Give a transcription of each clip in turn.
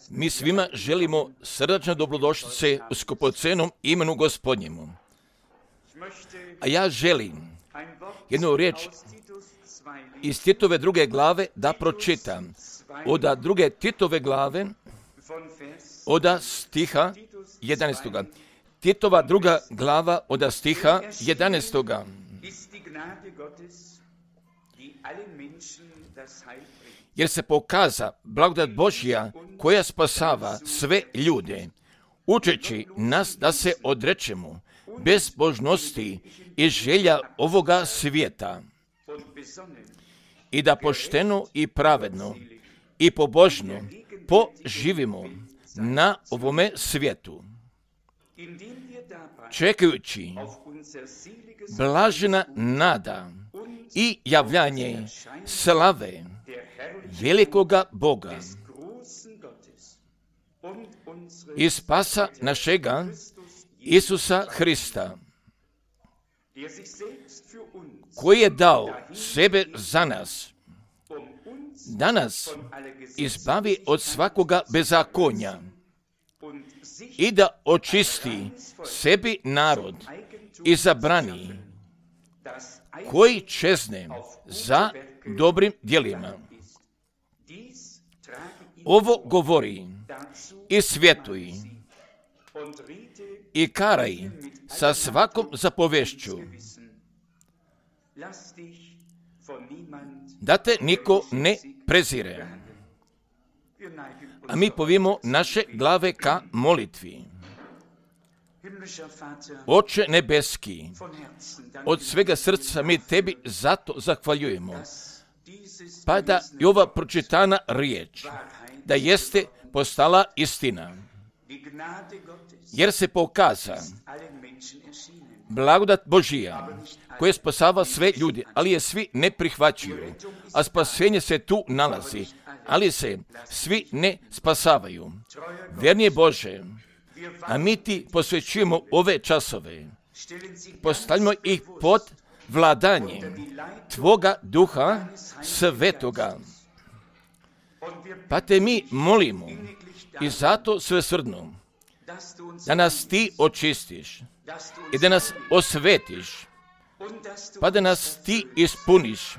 Mi svima želimo srdačno dobrodošlice u skupocenom imenu Gospodnjemu. A ja želim jednu riječ iz Titove 2. glave da pročitam. Od 2. Titove glave, od stiha 11. Titova 2. glava od stiha 11. Jer se pokaza blagodat Božja koja spasava sve ljude, učeći nas da se odrečemo bezbožnosti i želja ovoga svijeta i da pošteno i pravedno i pobožno poživimo na ovome svijetu, čekajući blažena nada i javljanje slave velikoga Boga i spasa našega Isusa Hrista, koji je dao sebe za nas, da nas izbavi od svakoga bezakonja i da očisti sebi narod izabrani, koji čezne za dobrim djelima. Ovo govori i svjetuj i karaj sa svakom zapovešću, da te niko ne prezire. A mi povimo naše glave ka molitvi. Oče nebeski, od svega srca mi tebi zato zahvaljujemo, pa da je ova pročitana riječ, da jeste postala istina, jer se pokaza blagodat Božija, koja spasava sve ljudi, ali je svi ne prihvaćaju, a spasenje se tu nalazi, ali se svi ne spasavaju. Vjerni Bože, a mi ti posvećujemo ove časove, postavljamo ih pod vladanjem Tvoga Duha Svetoga. Pa te mi molimo i zato svesrdno da nas ti očistiš i da nas osvetiš, pa da nas ti ispuniš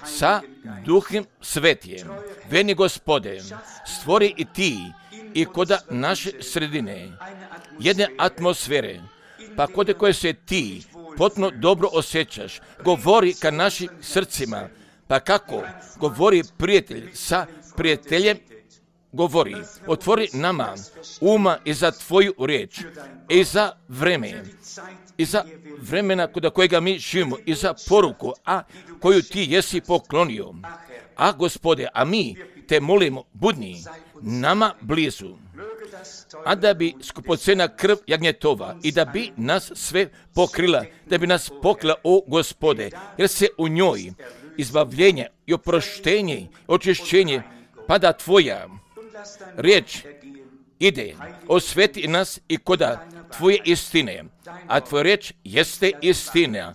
sa Duhom Svetijem. Veni Gospode, stvori i ti i kod naše sredine jedne atmosfere, pa kod koje se ti potpuno dobro osjećaš, govori ka našim srcima, pa kako govori prijatelj sa prijateljem, govori, otvori nama uma i za tvoju riječ, i za vreme, i za vremena kod kojega mi živimo, i za poruku, a koju ti jesi poklonio. A Gospode, a mi te molimo, budni nama blizu, a da bi skupocena krv jagnjetova i da bi nas sve pokrila, da bi nas pokrila, o Gospode, jer se u njoj izbavljenje i oproštenje, očišćenje, pada tvoja riječ ide, osveti nas i koda tvoje istine, a tvoja riječ jeste istina.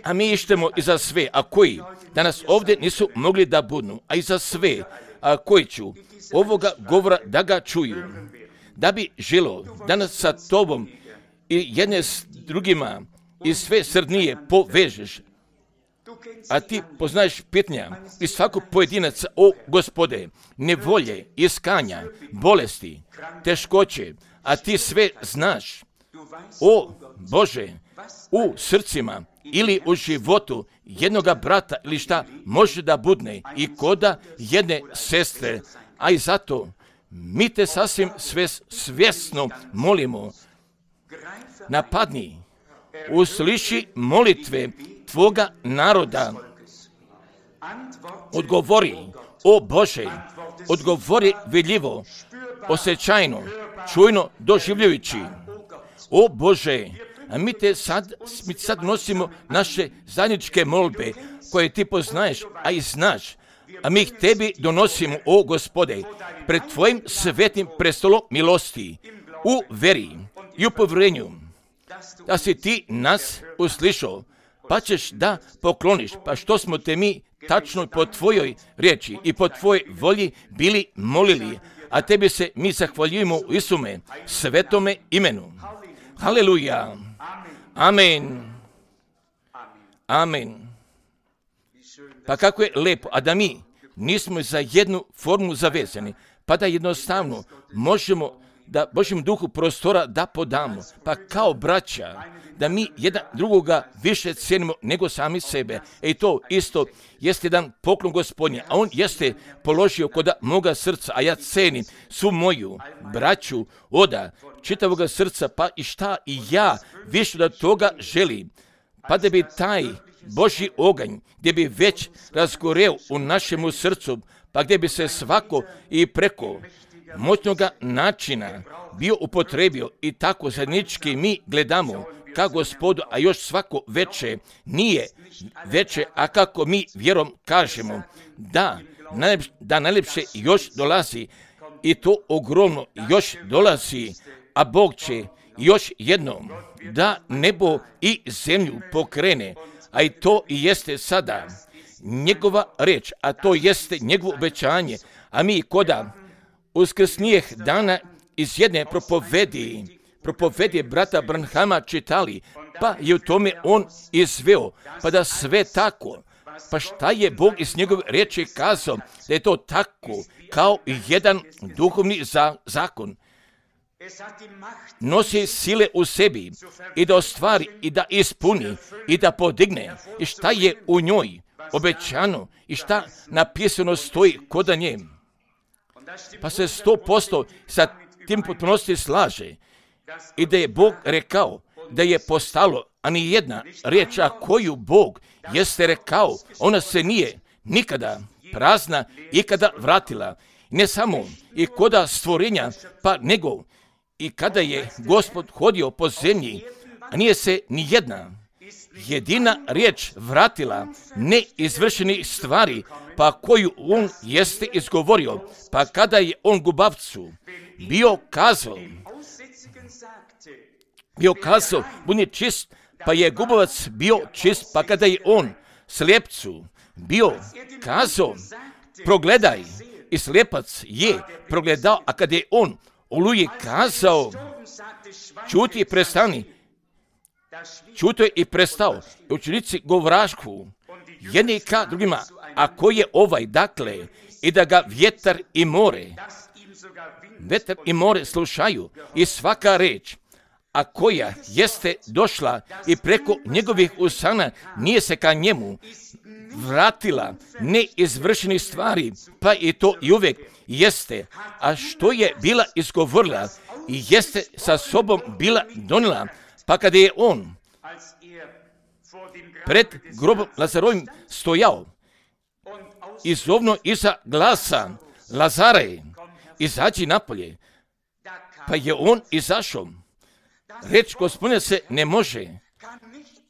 A mi ištemo i za sve, a koji danas ovdje nisu mogli da budnu, a i za sve, a koji ću ovoga govora da ga čuju, da bi žilo danas sa tobom i jedne s drugima i sve srdnije povežeš. A ti poznaješ pitanja i svakog pojedinaca, o Gospode, nevolje, iskanja, bolesti, teškoće, a ti sve znaš. O Bože, u srcima ili u životu jednoga brata ili šta može da budne i koda jedne sestre, a i zato mi te sasvim svjesno molimo, napadni, usliši molitve tvoga naroda, odgovori, o Bože, odgovori vidljivo, osjećajno, čujno, doživljajući. O Bože, a mi sad nosimo naše zajedničke molbe koje ti poznaješ, a i znaš, a mi ih tebi donosimo, o Gospode, pred tvojim svetim prestolom milosti, u veri i u povjerenju, da si ti nas uslišao, pa ćeš da pokloniš, pa što smo te mi tačno po tvojoj riječi i po tvojoj volji bili molili, a tebi se mi zahvaljujemo u Isume svetome imenu. Haleluja. Amen. Amen. Pa kako je lepo, a da mi nismo za jednu formu zavezani, pa da jednostavno možemo da Božjem duhu prostora da podamo, pa kao braća, da mi jedan drugoga više cijenimo nego sami sebe. I to isto jeste jedan poklon Gospodnje, a on jeste položio kod moga srca, a ja cenim svu moju braću oda čitavoga srca, pa i šta i ja više da toga želim, pa da bi taj Božji oganj, gdje bi već razgoreo u našemu srcu, pa gdje bi se svako i preko moćnoga načina bio upotrebio i tako zajednički mi gledamo ka Gospodu, a još svako veće nije veće, a kako mi vjerom kažemo da najlepše još dolazi i to ogromno još dolazi, a Bog će još jednom da nebo i zemlju pokrene, a i to i jeste sada njegova reč, a to jeste njegovo obećanje, a mi koda uskrsnijeh dana iz jedne propovedi brata Branhama čitali, pa je u tome on izveo, pa da sve tako, pa šta je Bog iz njegove riječi kazao, da je to tako kao jedan duhovni zakon. Nosi sile u sebi i da ostvari i da ispuni i da podigne i šta je u njoj obećano i šta napisano stoji koda nje. Pa se 100% sa tim potpunosti slaže i da je Bog rekao da je postalo, a ni jedna riječ koju Bog jeste rekao, ona se nije nikada prazna ikada vratila. Ne samo i koda stvorenja, pa nego i kada je Gospod hodio po zemlji, a nije se ni jedina riječ vratila neizvršenih stvari, pa koju on jeste izgovorio, pa kada je on gubavcu bio kazao, budi čist, pa je gubavac bio čist, pa kada je on slijepcu bio kazao, progledaj, i slijepac je progledao, a kada je on Oluji kazao, čuti i prestani, čuto je i prestao. Učenici govrašku jedni ka drugima, a ko je ovaj, dakle, i da ga vjetar i more slušaju i svaka reč, a koja jeste došla i preko njegovih usana nije se ka njemu vratila neizvršenih stvari, pa i to i uvijek jeste, a što je bila izgovorila i jeste sa sobom bila donijela, pa kada je on pred grobom Lazarovim stojao i zovno iza glasa, Lazare, izađi napolje, pa je on izašao. Reč Gospodina se ne može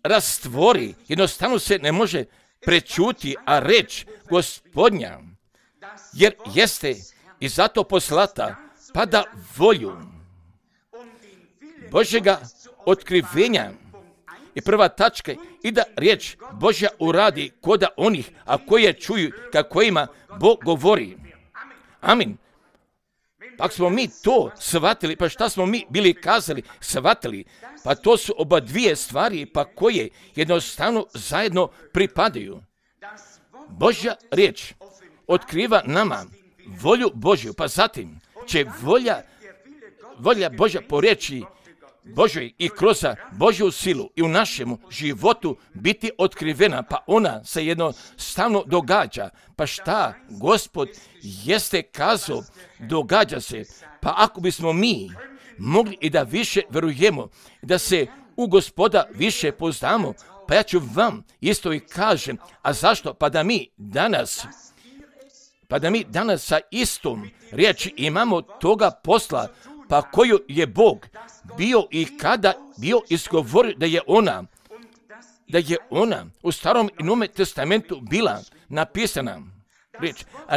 rastvori, jednostavno se ne može prečuti, a reč Gospodnja, jer jeste i zato poslata, pa da volju Božjega otkrivenja i prva tačka i da riječ Božja uradi koda onih, a koje čuju kako ima Bog govori. Amin. Pa smo mi to shvatili, pa šta smo mi bili kazali, shvatili, pa to su oba dvije stvari, pa koje jednostavno zajedno pripadaju. Božja riječ otkriva nama volju Božju, pa zatim će volja Božja po riječi Božoj i kroz Božju silu i u našemu životu biti otkrivena, pa ona se jednostavno događa. Pa šta Gospod jeste kazao, događa se. Pa ako bismo mi mogli i da više verujemo, da se u Gospoda više poznamo, pa ja ću vam isto i kažem, a zašto? Pa da mi danas sa istom riječi imamo toga posla, pa koju je Bog bio i kada bio izgovorio da je ona u Starom i Novome testamentu bila napisana riječ, a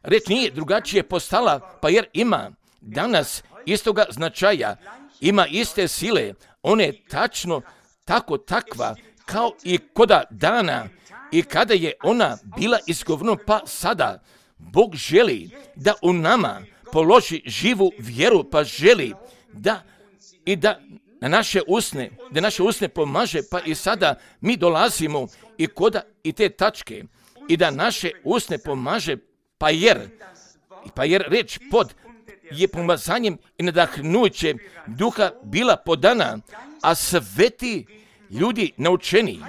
riječ nije drugačije postala, pa jer ima danas istoga značaja, ima iste sile, ona je tačno takva kao i koda dana I kada je ona bila izgovorena, pa sada Bog želi da u nama položi živu vjeru, pa želi da na naše usne pomaže, pa i sada mi dolazimo i koda i te tačke i da naše usne pomaže, pa jer reč pod je pomazanjem i nadahnuće duha bila podana, a sveti ljudi naučeni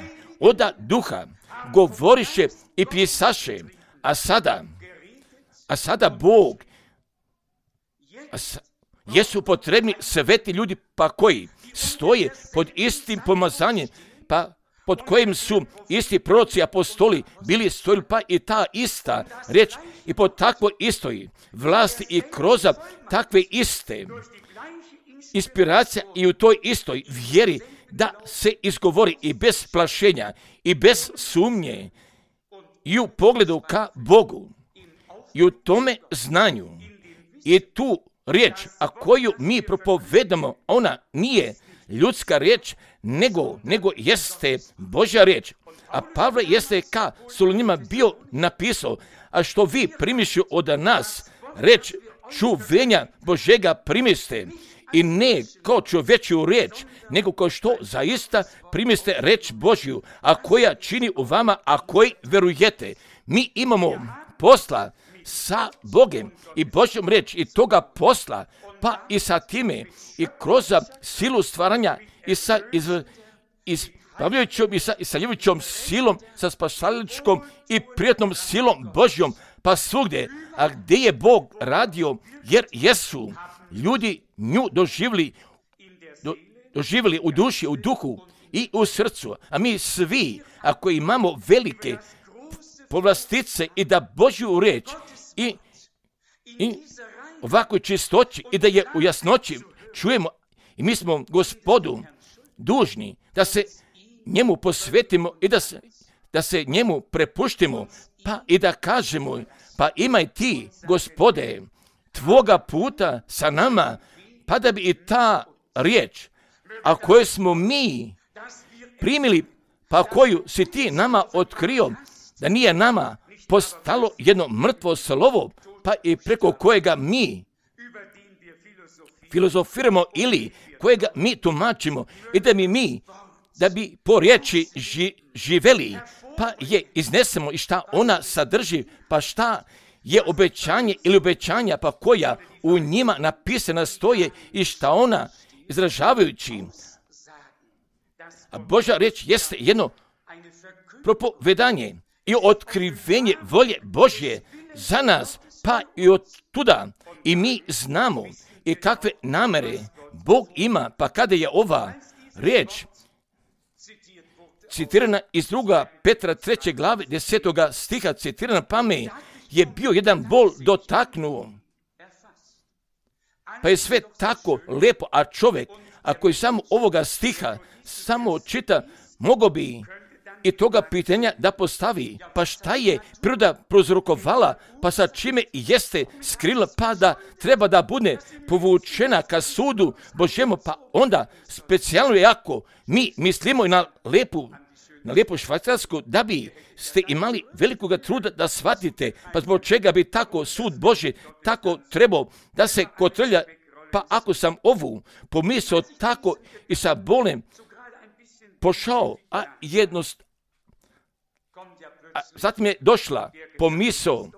oda duha govoriše i pisaše, a sada Bog, jesu potrebni sveti ljudi, pa koji stoje pod istim pomazanjem, pa pod kojim su isti proroci apostoli bili stojili, pa i ta ista reč i pod takvoj istoj vlasti i kroz takve iste inspiracija i u toj istoj vjeri da se izgovori i bez plašenja i bez sumnje i u pogledu ka Bogu i u tome znanju i tu riječ, a koju mi propovedamo, ona nije ljudska riječ, nego jeste Božja riječ. A Pavle jeste ka Solunima bio napisao, a što vi primiši od nas, reč čuvenja Božega primiste, i ne kao čovječju riječ, nego kao što zaista primiste reč Božju, a koja čini u vama, a koji verujete. Mi imamo posla sa Bogem i Božjom riječ i toga posla, pa i sa time i kroz silu stvaranja i sa ispavljajućom i sa isaljujućom silom, sa spašaličkom i prijatnom silom Božjom, pa svugdje, a gdje je Bog radio, jer jesu ljudi nju doživjeli u duši, u duhu i u srcu, a mi svi, ako imamo velike povlastice i da Božju riječ i ovakvoj čistoći i da je u jasnoći čujemo, i mi smo Gospodu dužni da se njemu posvetimo i da se njemu prepuštimo, pa i da kažemo, pa imaj ti, Gospode, tvoga puta sa nama, pa da bi i ta riječ, a koju smo mi primili, pa koju si ti nama otkrio, da nije nama postalo jedno mrtvo slovo, pa i preko kojega mi filozofiramo ili kojega mi tumačimo i da bi po riječi živeli, pa je iznesemo i šta ona sadrži, pa šta je obećanje ili obećanja, pa koja u njima napisana stoje i šta ona izražavajući. A Božja riječ jeste jedno propovedanje i otkrivenje volje Božje za nas, pa i od tuda i mi znamo i kakve namere Bog ima, pa kada je ova riječ citirana iz 2. Petra 3. glave 10. stiha citirana, pa me je bio jedan bol dotaknuo. Pa je sve tako lepo, a čovjek, ako je samo ovoga stiha samo čita, mogao bi i toga pitanja da postavi, pa šta je priroda prozrokovala, pa sa čime jeste skrila, pa da treba da bude povučena ka sudu Božjemu, pa onda specijalno jako mi mislimo i na lepu švajcarsku, da bi ste imali velikoga truda da shvatite, pa zbog čega bi tako sud Božji tako trebao da se kotrlja, pa ako sam ovu pomislio tako i sa bolem pošao, a zatim je došla pomisao,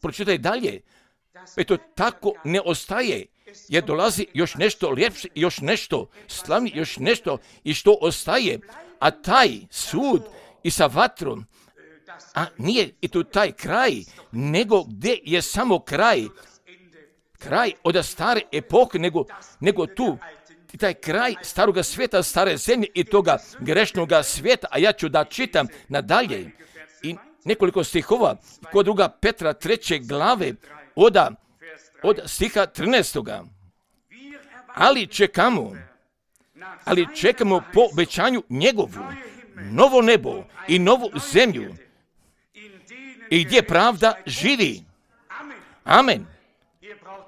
pročitaj dalje, eto tako ne ostaje, jer dolazi još nešto ljepše, još nešto slavnije, još nešto i što ostaje, a taj sud i sa vatrom, a nije i tu taj kraj, nego gdje je samo kraj od stare epohe, nego tu i taj kraj staroga svijeta, stare zemlje i toga grešnoga svijeta, a ja ću da čitam nadalje i nekoliko stihova kod 2. Petra 3. glave od stiha 13. Ali čekamo po obećanju njegovu novo nebo i novu zemlju i gdje pravda živi. Amen.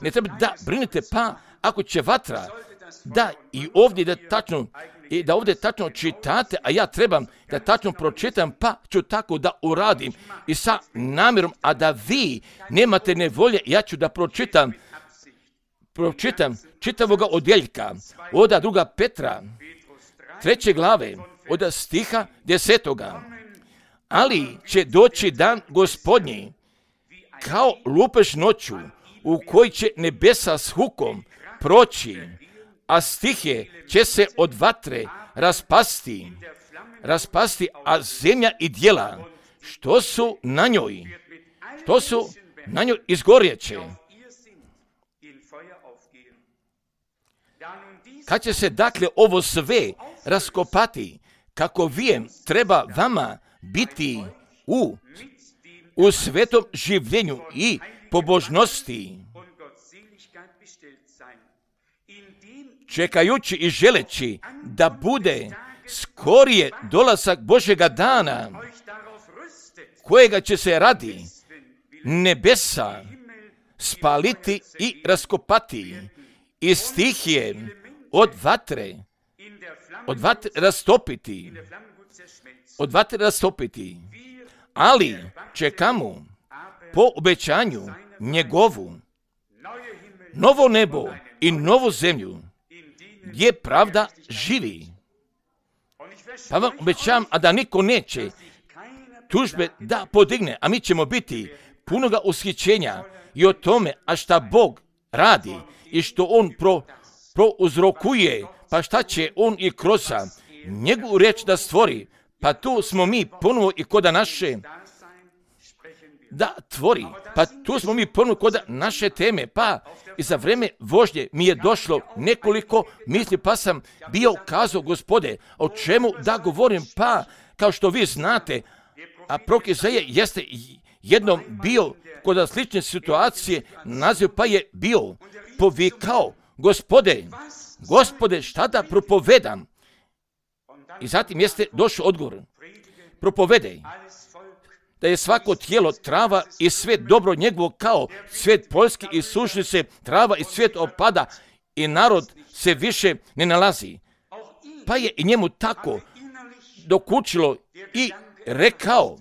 Ne treba da brinete, pa ako će vatra da i ovdje da ovdje tačno čitate, a ja trebam da tačno pročitam, pa ću tako da uradim i sa namjerom, a da vi nemate nevolje, ja ću da pročitam čitavoga odjeljka od 2. Petra 3. glave od stiha 10. Ali će doći dan Gospodnji kao lupež noću, u koji će nebesa s hukom proći, a stihe će se od vatre raspasti, a zemlja i djela što su na njoj izgorjeće. Kad će se dakle ovo sve raskopati, kako vijem treba vama biti u svetom življenju i pobožnosti, čekajući i želeći da bude skorije dolazak Božjega dana, kojega će se radi nebesa spaliti i raskopati i stihije od vatre rastopiti, ali čekamo po obećanju njegovu novo nebo i novu zemlju, gdje pravda živi. Pa vam obećavam, a da niko neće tužbe da podigne, a mi ćemo biti punoga ushićenja i o tome, a šta Bog radi i što On prouzrokuje, pa šta će On i kroz njegovu riječ da stvori, pa tu smo mi ponovo i kod naše da tvori, pa tu smo mi ponovo kod naše teme, pa i za vrijeme vožnje mi je došlo nekoliko misli, pa sam bio kazao, Gospode, o čemu da govorim, pa kao što vi znate, a prorok Izaija jeste jednom bio kod slične situacije, naziv pa je bio povikao, Gospode, šta da propovedam? I zatim jeste došao odgovor, propovedaj da je svako tijelo trava i svijet dobro njegovo kao svijet poljski i suši se trava i svijet opada i narod se više ne nalazi. Pa je i njemu tako dokučilo i rekao,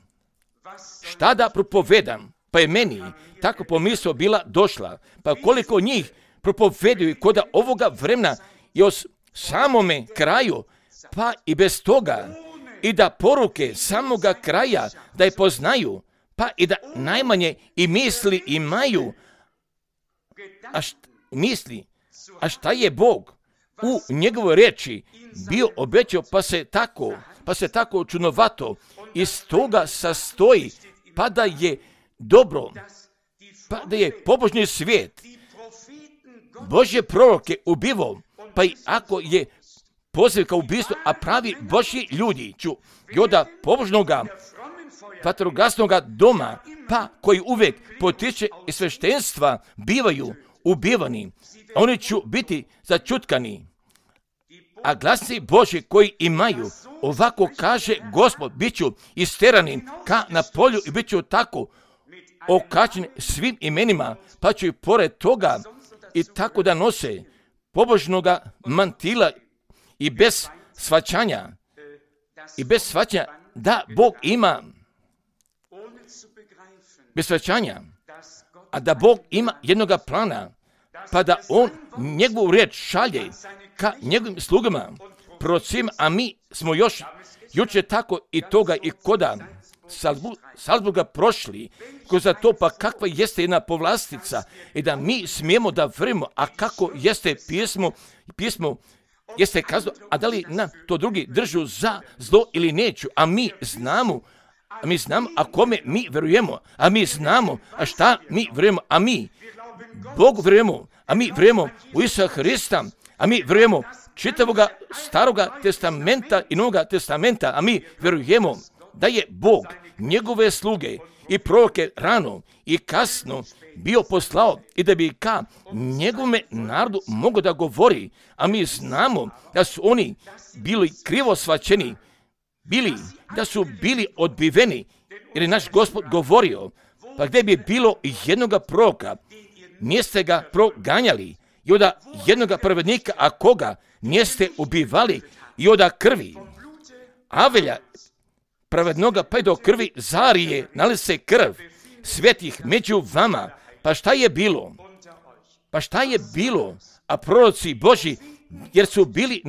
šta da propovedam? Pa je meni tako pomisao bila došla, pa koliko njih propoveduju kod ovoga vremena i o samome kraju, pa i bez toga, i da poruke samoga kraja da je poznaju, pa i da najmanje i misli imaju, a šta je Bog u njegovoj riječi bio obećao, pa se tako čudnovato iz toga sastoji, pa da je dobro, pa da je pobožni svijet Božje proroke ubivao, pa i ako je poziv kao ubistvo, a pravi Božji ljudi i od pobožnoga vatrogasnoga doma, pa koji uvijek potiče iz sveštenstva bivaju ubivani, oni će biti začutkani. A glasi Božji koji imaju, ovako kaže Gospod, bit ću isterani ka na polju i bit ću tako okačeni svim imenima, pa ću i pored toga i tako da nose pobožnoga mantila i bez shvaćanja da Bog ima, bez shvaćanja, a da Bog ima jednoga plana, pa da On njegovu riječ šalje ka njegovim slugama, prorocima, a mi smo još jučer tako i toga i koda Salzburga prošli kroz to, pa kakva jeste jedna povlastica i da mi smijemo da vrimo, a kako jeste pismo jeste kazano, a da li nam to drugi držu za zlo ili neću, a mi znamo, a kome mi verujemo, a mi znamo, a šta mi verujemo, a mi Bogu verujemo, a mi verujemo u Isusa Hrista, a mi verujemo čitavoga Staroga testamenta i Novoga testamenta, a mi verujemo da je Bog njegove sluge i proroke rano i kasno bio poslao i da bi ka njegovome narodu mogao da govori, a mi znamo da su oni bili krivo shvaćeni, da su bili odbiveni, jer je naš Gospod govorio, pa gdje bi bilo jednoga proroka, niste ga proganjali, i od jednoga pravednika, a koga niste ubivali, i od krvi Avelja pravednoga pa i do krvi Zarije nalise krv svetih među vama. Pa šta je bilo? Pa šta je bilo? A proroci Božji, jer su bili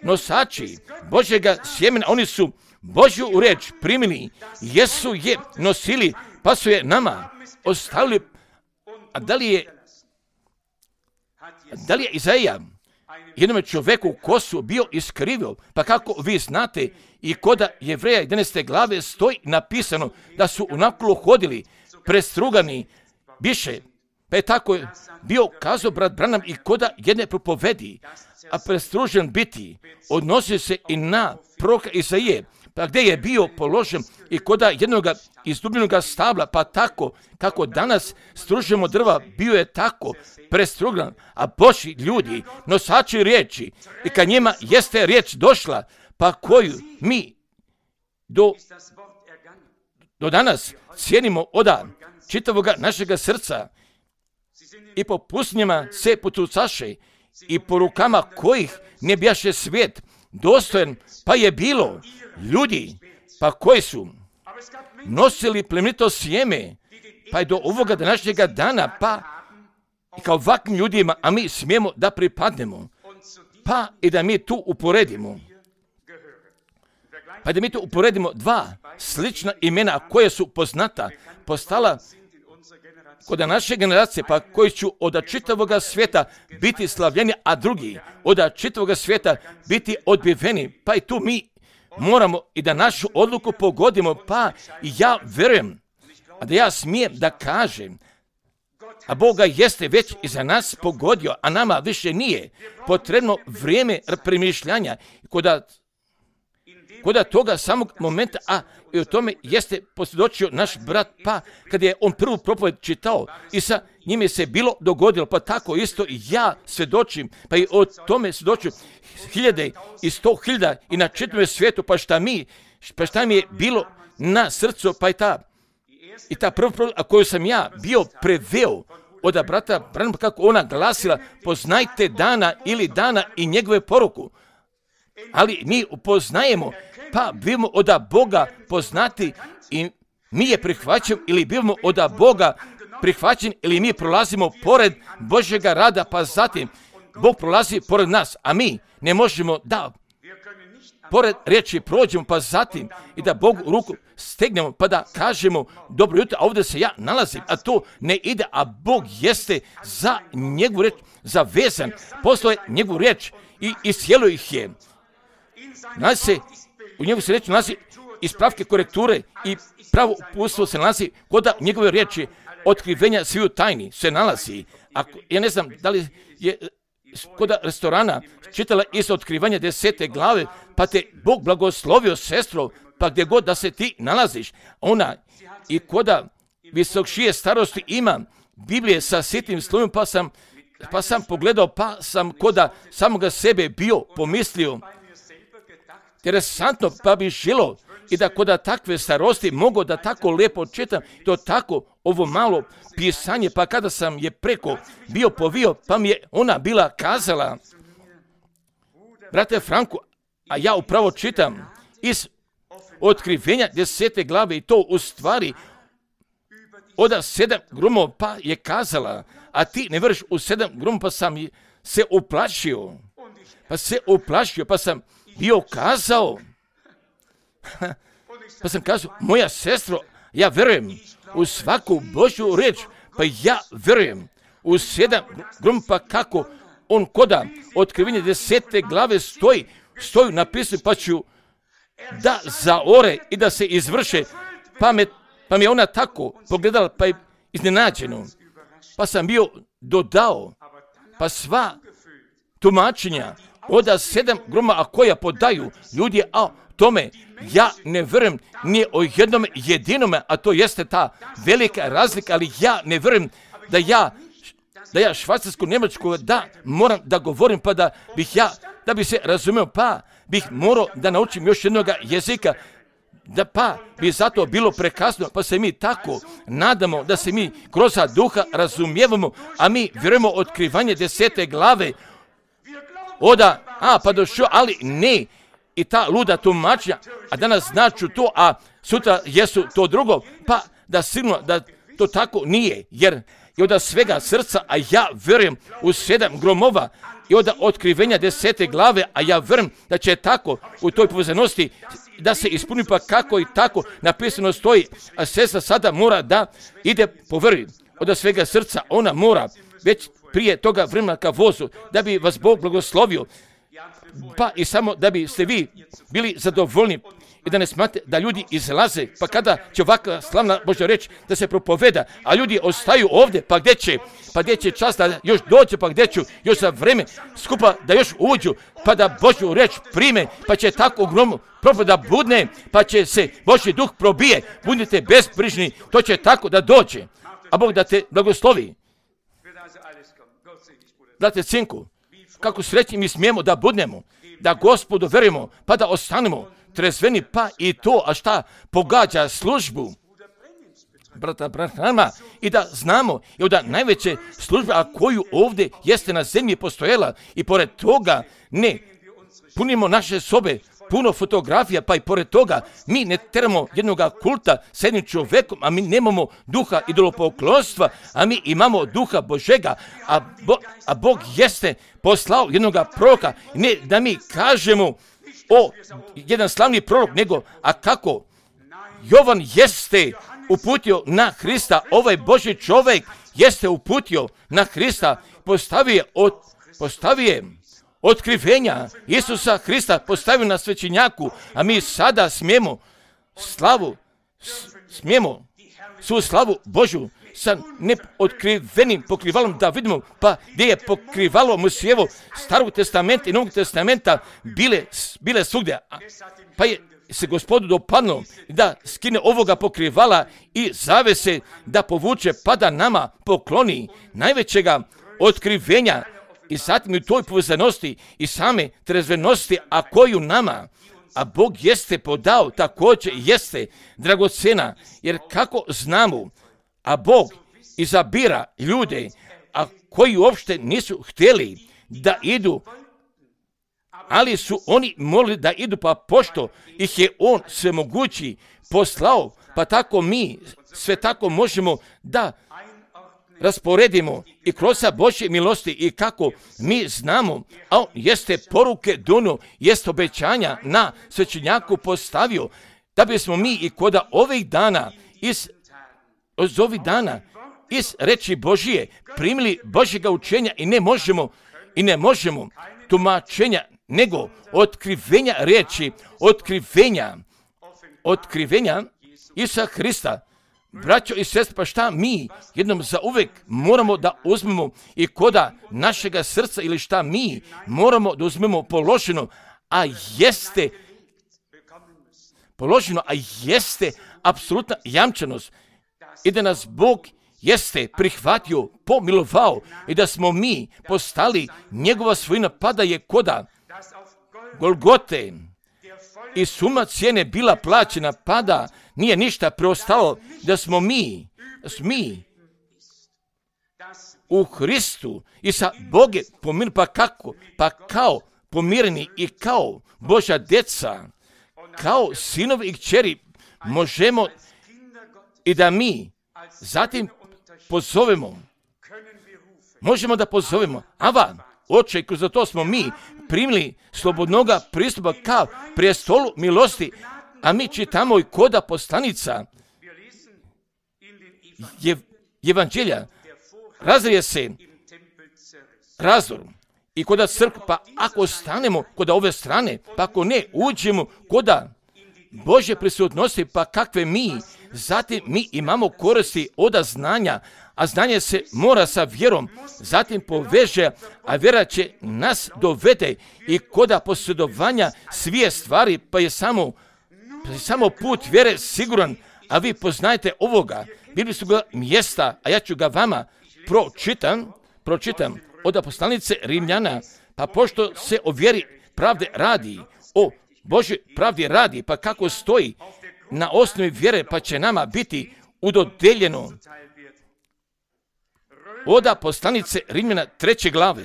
nosači Božjega sjemena, oni su Božju reč primili, jesu je nosili, pa su je nama ostavili. A da li je Izaija jednom čovjeku kosu bio iskrivio? Pa kako vi znate, i kod Jevreja 11. glave stoji napisano da su onako hodili prestrugani više. Pa je tako bio kazao brat Branham i kod jedne propovedi, a prestružen biti odnosi se i na proroka Izaije, pa gdje je bio položen i kod jednog izdubljenog stabla, pa tako kako danas stružemo drva, bio je tako prestrugan, a Božji ljudi, nosači riječi, i kad njima jeste riječ došla, pa koju mi do danas cijenimo od čitavog našega srca, i po pustinjama se potucaše, i po rukama kojih ne bjaše svijet dostojan, pa je bilo ljudi, pa koji su nosili plemenito sjeme, pa je do ovoga današnjega dana, pa i kao ovakvim ljudima, a mi smijemo da pripadnemo, pa i da mi tu uporedimo. Pa da mi tu uporedimo dva slična imena koja su poznata, postala kod naše generacije, pa koji će od čitavog svijeta biti slavljeni, a drugi od čitavog svijeta biti odbiveni. Pa i tu mi moramo i da našu odluku pogodimo, pa ja vjerujem, a da ja smijem da kažem, a Boga jeste već i za nas pogodio, a nama više nije potrebno vrijeme premišljanja kod toga samog momenta, a i o tome jeste posvjedočio naš brat, pa kad je on prvu propoved čitao i sa njime se bilo dogodilo, pa tako isto i ja svjedočim, pa i o tome svjedočim 1000 i 100.000 i na čitavom svijetu, pa šta mi je bilo na srcu, pa i ta prva propoved, a koju sam ja bio preveo od brata Branhama, kako ona glasila, poznajte dana ili dana i njegove poruku. Ali mi upoznajemo, pa bivamo od Boga poznati i mi je prihvaćamo, ili bivamo od Boga prihvaćeni, ili mi prolazimo pored Božjega rada, pa zatim Bog prolazi pored nas, a mi ne možemo da pored riječi prođemo, pa zatim i da Bogu ruku stegnemo, pa da kažemo dobro jutro, a ovdje se ja nalazim, a to ne ide, a Bog jeste za njegovu riječ zavezan, poslao je njegovu riječ i iscijelio ih je. U njegu se reći nalazi ispravke, korekture i pravo uputstvo se nalazi kod njegove riječi, otkrivenja sviju tajni se nalazi. Ja ne znam da li je kod restorana čitala iz otkrivanja 10. glave, pa te Bog blagoslovio, sestro, pa gdje god da se ti nalaziš. Ona i kod visokšije starosti ima Biblije sa sitnim slovima, pa sam pogledao, pa sam kod samoga sebe bio pomislio, interesantno, pa bi želo i da kod takve starosti mogu da tako lijepo čitam, to tako ovo malo pisanje, pa kada sam je preko bio povio, pa mi je ona bila kazala, brate Franku, a ja upravo čitam iz otkrivenja 10. glave i to u stvari od 7 grumova, pa je kazala, a ti ne vrš u 7 grumova, pa sam se uplašio, pa sam bio kazao, pa sam kazao, moja sestro, ja vjerujem u svaku Božju riječ, pa ja vjerujem u 7 grumova, pa kako on koda otkrivenje 10. glave stoji napisano, pa ću da zaore i da se izvrše, pa mi je ona tako pogledala, pa je iznenađeno, pa sam bio dodao, pa sva tumačenja od 7 grumova, a koja podaju ljudi, a tome ja ne vjerujem ni o jednom jedinome, a to jeste ta velika razlika, ali ja ne vjerujem da ja švajcarsko-njemačko da moram da govorim, pa da bi se razumio, pa bih morao da naučim još jednog jezika, da pa bi zato bilo prekasno, pa se mi tako nadamo da se mi kroz duha razumijevamo, a mi vjerujemo otkrivanje 10. glave, pa došlo, ali ne, i ta luda tumačenja, a danas značu to, a sutra jesu to drugo, pa da sigurno da to tako nije, jer i od svega srca, a ja vjerujem u 7 gromova, i od otkrivenja 10. glave, a ja vjerujem da će tako u toj povezanosti da se ispuni, pa kako i tako napisano stoji, a sestra sada mora da ide po vjeri od svega srca, ona mora već prije toga vremena ka vozu, da bi vas Bog blagoslovio, pa i samo da biste vi bili zadovoljni i da ne smatrate da ljudi izlaze, pa kada će ovakva slavna Božja reč da se propoveda, a ljudi ostaju ovdje, pa gdje će čas da još dođe, pa gdje ću još za vreme skupa da još uđu, pa da Božju reč prime, pa će tako ogromno propoveda budne, pa će se Božji duh probije, budite bezbrižni, to će tako da dođe, a Bog da te blagoslovi. Brate Cinku, kako srećni mi smijemo da budnemo, da Gospodu verujemo, pa da ostanemo trezveni, pa i to, a šta pogađa službu brata Branhama, i da znamo i da najveće službe, a koju ovdje jeste na zemlji postojala, i pored toga ne punimo naše sobe puno fotografija, pa i pored toga mi ne teramo jednog kulta s jednim čovjekom, a mi nemamo duha idolopoklonstva, a mi imamo duha Božega, a Bog jeste poslao jednog proroka, ne da mi kažemo jedan slavni prorok, nego a kako Jovan jeste uputio na Hrista, ovaj Božji čovjek jeste uputio na Hrista, postavio otkrivenja Isusa Hrista, postavio na svećenjaku, a mi sada smijemo svu slavu Božju sa neotkrivenim pokrivalom da vidimo, pa gdje je pokrivalo Mojsijevo Starog testamenta i Novog testamenta bile svugdje, pa je se Gospodu dopadlo da skine ovoga pokrivala i zavese da povuče, pa da nama pokloni najvećega otkrivenja, i zatim u toj povezanosti i same trezvenosti, a koju nama, a Bog jeste podao, također jeste dragocena, jer kako znamo, a Bog izabira ljude, a koji uopšte nisu htjeli da idu, ali su oni molili da idu, pa pošto ih je On svemogući poslao, pa tako mi sve tako možemo da rasporedimo i kroz Božje milosti, i kako mi znamo, a On jeste poruke donio, jeste obećanja na svećenjaku postavio, da bismo mi i kod ovih dana iz reči Božije primili Božjega učenja, i ne možemo tumačenja, nego otkrivenja reči, otkrivenja Isusa Hrista. Braćo i sestre, pa šta mi jednom zauvek moramo da uzmemo i koda našega srca, ili šta mi moramo da uzmemo položeno, a jeste apsolutna jamčenost, i da nas Bog jeste prihvatio, pomilovao, i da smo mi postali njegova svojina, pa da je koda Golgote i suma cijene bila plaćena, pa da nije ništa preostalo, da smo mi u Hristu i sa Bogom pomireni, pa kako? Pa kao pomireni i kao Božja djeca, kao sinovi i kćeri možemo i da mi zatim možemo da pozovemo, Ava, Oče, i kroz to smo mi primili slobodnoga pristupa ka prijestolu milosti, a mi čitamo i koda poslanica Evanđelja, razrije se razdor i koda crkva, pa ako stanemo koda ove strane, pa ako ne uđemo koda Božje prisutnosti, pa kakve mi, zatim mi imamo koristi od znanja, a znanje se mora sa vjerom, zatim poveže, a vjera će nas dovede i koda posjedovanja svije stvari, pa je samo put vjere siguran, a vi poznajete ovoga. Bili su ga mjesta, a ja ću ga vama pročitam od poslanice Rimljana, pa pošto se o vjeri pravde radi, o Božoj pravdi radi, pa kako stoji, na osnovi vjere, pa će nama biti udodeljeno. Oda poslanice Rimljana 3. glave.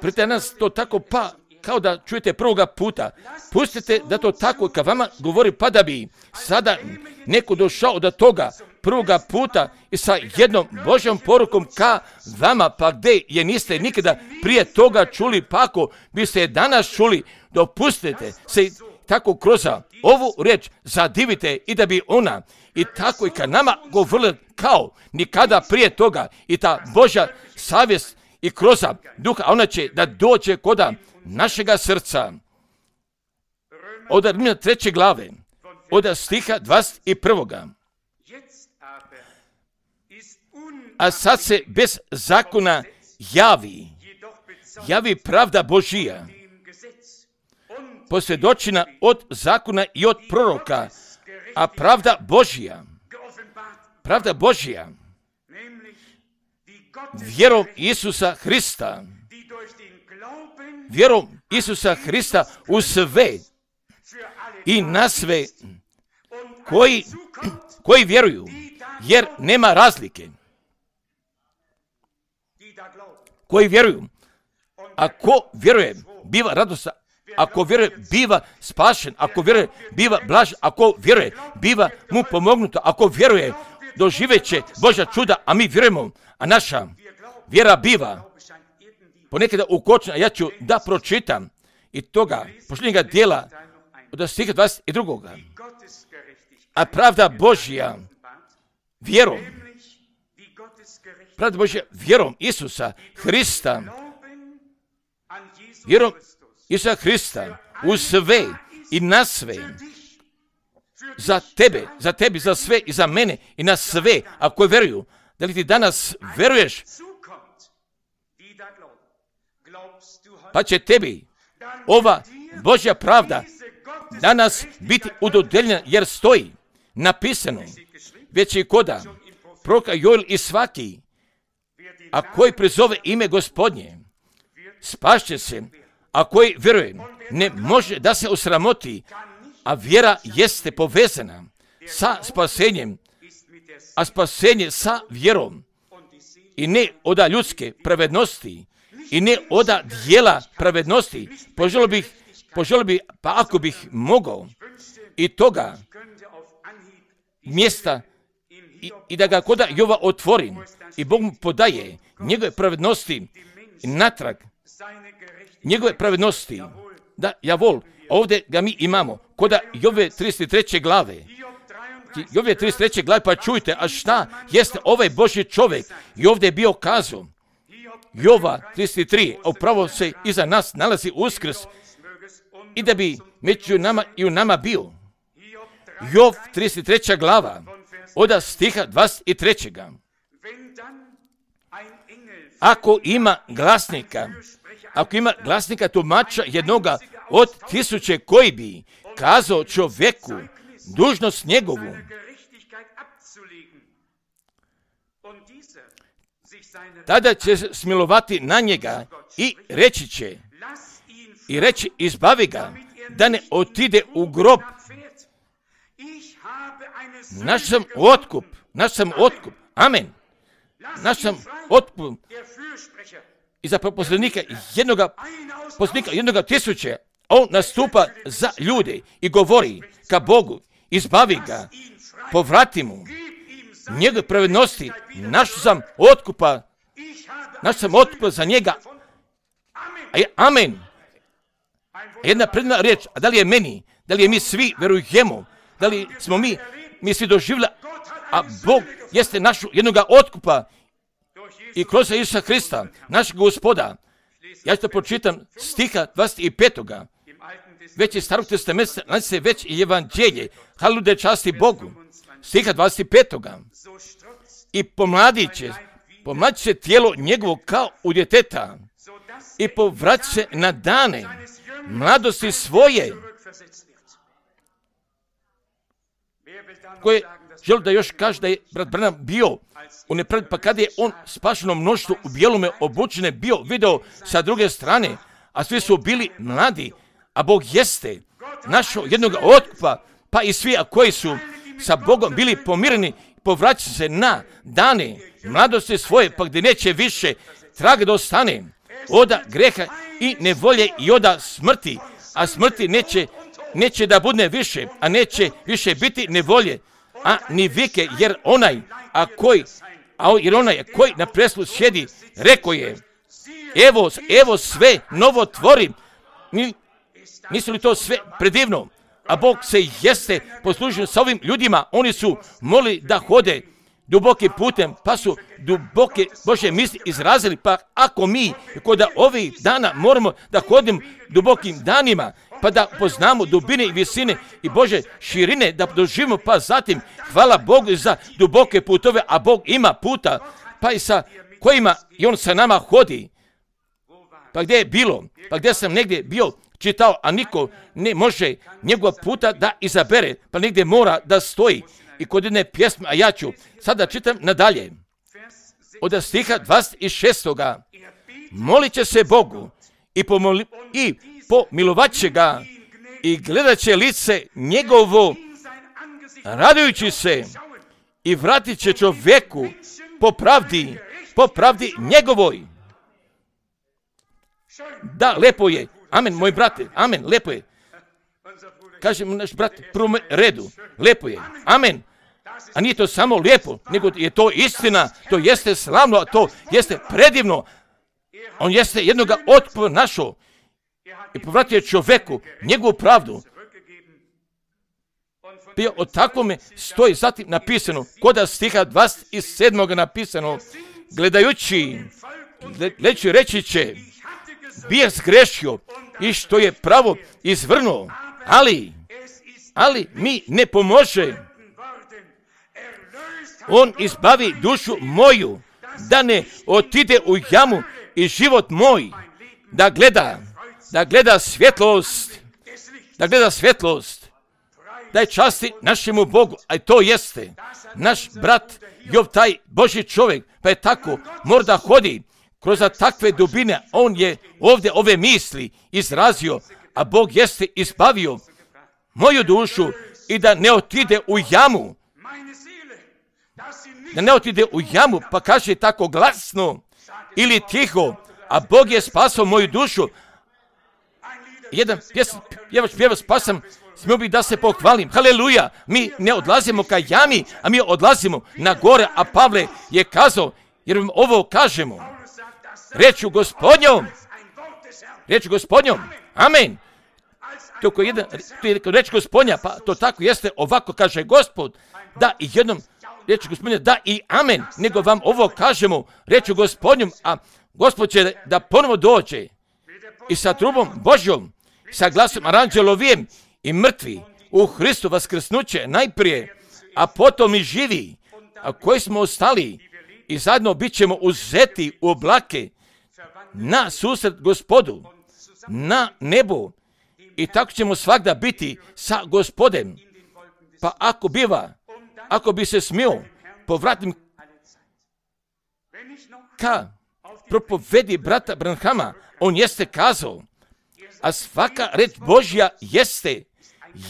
Prete nas to tako pa kao da čujete prvoga puta. Pustite da to tako kad vama govori, pa da bi sada neko došao do toga prvoga puta i sa jednom Božjom porukom ka vama, pa gdje je niste nikada prije toga čuli, pa ako biste je danas čuli, dopustite se tako kroz ovu riječ zadivite i da bi ona i tako i kad nama govorila kao nikada prije toga i ta Božja savjest i kroz duha, a ona će da dođe kod našega srca. Od Rimljana 3. glave, od stiha 21. A sad se bez zakona javi pravda Božija, posvjedočena od zakona i od proroka, a pravda Božija, vjerom Isusa Hrista u sve i na sve koji vjeruju, jer nema razlike. Koji vjeruju, ako vjeruje, biva radostan, ako vjeruje, biva spašen, ako vjeruje, biva blažen, ako vjeruje, biva mu pomognuto, ako vjeruje, doživeće Božja čuda, a mi vjerujemo, a naša vjera biva ponekada ukočena. Ja ću da pročitam i toga posljednjega dijela od stiha 22. A pravda Božja vjerom Isusa Hrista, u sve i na sve, za tebe, za sve i za mene i na sve, ako vjeruju. Da li ti danas vjeruješ, pa će tebi ova Božja pravda danas biti udodeljena, jer stoji napisano već i koda proroka Joel i svaki, a koji prizove ime Gospodnje, spašće se, a koji vjeruje, ne može da se osramoti, a vjera jeste povezana sa spasenjem, a spasenje sa vjerom, i ne oda ljudske pravednosti, i ne oda dijela pravednosti. Poželio bih, pa ako bih mogao, i toga mjesta, i da ga koda Jova otvorim, i Bog mu podaje njegove pravednosti natrag, njegove pravednosti, da, javol, ovdje ga mi imamo, koda Jove 33. glave, Jove 33. glave, pa čujte, a šta jeste ovaj Božji čovjek, i ovdje je bio kazao, Jova 33, a upravo se iza nas nalazi Uskrs, i da bi među nama i u nama bio. Jov 33. glava, od stiha 23. Ako ima glasnika tumača jednoga od 1000 koji bi kazao čovjeku dužnost njegovu, tada će smilovati na njega i reći izbavi ga, da ne otide u grob. Naš sam otkup, amen. Naš sam otkup. I za posrednika jednoga 1000, on nastupa za ljude i govori ka Bogu, izbavi ga, povrati mu njegove pravednosti, naš sam otkupa za njega. Amen. Jedna predna riječ, a da li je meni, da li je mi svi verujemo, da li smo mi svi doživjeli, a Bog jeste našu jednoga otkupa i kroz Isusa Hrista, našeg Gospoda. Ja ću to pročitam stiha 25. Već iz Starog testamenta nalazi se već i evanđelje, haleluja, časti Bogu, stiha 25. I pomladit će tijelo njegovo kao u djeteta i povrat će na dane mladosti svoje. Koje želi da još kaže da je brat Branham bio u nepravdi, pa kada je on spašeno mnoštvo u bijelome obučene bio video sa druge strane, a svi su bili mladi, a Bog jeste našao jednog otkupa pa i svi koji su sa Bogom bili pomireni, povraćaju se na dane mladosti svoje, pa gdje neće više traga da ostane oda greha i nevolje i oda smrti, a smrti neće da bude više, a neće više biti nevolje, a ni vike, jer onaj koji na preslu sjedi, rekao je, evo sve novo tvorim. Nisu li to sve predivno? A Bog se jeste poslužio sa ovim ljudima, oni su molili da hode dubokim putem, pa su duboke Božje misli izrazili, pa ako mi kod ovih dana moramo da hodimo dubokim danima, pa da poznamo dubine i visine i Bože širine, da doživimo, pa zatim hvala Bogu za duboke putove, a Bog ima puta, pa i sa kojima i On sa nama hodi. Pa gdje je bilo? Pa gdje sam negdje bio čitao, a niko ne može njegov puta da izabere, pa negdje mora da stoji. I kod jedne pjesme, a ja ću sada čitam nadalje. Od stiha 26. Molit će se Bogu i pomilovat će ga i gledat će lice njegovo, radujući se, i vratit će čovjeku po pravdi njegovoj. Da, lepo je. Amen, moj brate. Amen, lepo je. Kaže mu naš brat, prvom redu. Lepo je. Amen. A nije to samo lijepo, nego je to istina. To jeste slavno, a to jeste predivno. On jeste jednoga otpora našao i povratio čovjeku njegovu pravdu. Bio o takvome stoji zatim napisano, kod stiha 27. napisano, gledajući reći će, bija zgrešio i što je pravo izvrnuo, ali mi ne pomože. On izbavi dušu moju, da ne otide u jamu i život moj, da gleda svjetlost, da je časti našemu Bogu, a to jeste naš brat Jov, taj Božji čovjek, pa je tako, mora da hodi kroz takve dubine. On je ovdje ove misli izrazio, a Bog jeste izbavio moju dušu i da ne otide u jamu. Da ne otide u jamu, pa kaže tako glasno ili tiho, a Bog je spasao moju dušu. Jedan pjevač pa sam smio bih da se pohvalim. Haleluja, mi ne odlazimo ka jami, a mi odlazimo na gore, a Pavle je kazao, jer vam ovo kažemo, rečju Gospodnjom, amen. To je reč Gospodnja, pa to tako jeste, ovako kaže Gospod, da i jednom reči Gospodnja, da i amen, nego vam ovo kažemo, rečju Gospodnjom, a Gospod će da ponovo dođe i sa trubom Božjom, sa glasom aranđelovijem i mrtvi u Hristu vaskrsnuće najprije, a potom i živi, a koji smo ostali i zajedno bit ćemo uzeti u oblake na susret Gospodu, na nebu, i tako ćemo svakda biti sa Gospodem. Pa ako bi se smio, povratim ka propovedi brata Branhama, on jeste kazao, a svaka reč Božja jeste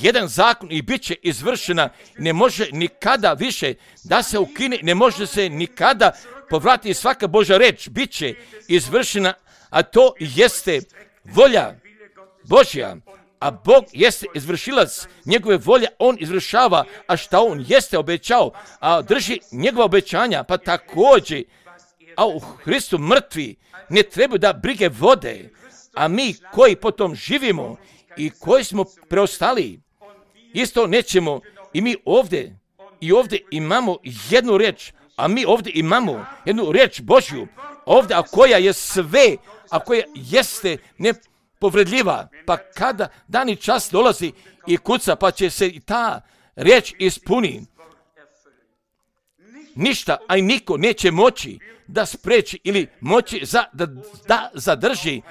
jedan zakon i bit će izvršena, ne može nikada više da se ukine, ne može se nikada povratiti svaka Božja reč, bit će izvršena, a to jeste volja Božja, a Bog jeste izvršilac njegove volje, on izvršava, a šta on jeste obećao, a drži njegova obećanja, pa također, a u Hristu mrtvi ne trebaju da brige vode, a mi koji potom živimo i koji smo preostali, isto nećemo. I mi ovdje imamo jednu reč, a mi ovdje imamo jednu reč Božju, ovdje, a koja je sve, a koja jeste nepovredljiva, pa kada dani čas dolazi i kuca, pa će se i ta reč ispuni. Ništa, a i niko neće moći da spreči ili moći da zadrži,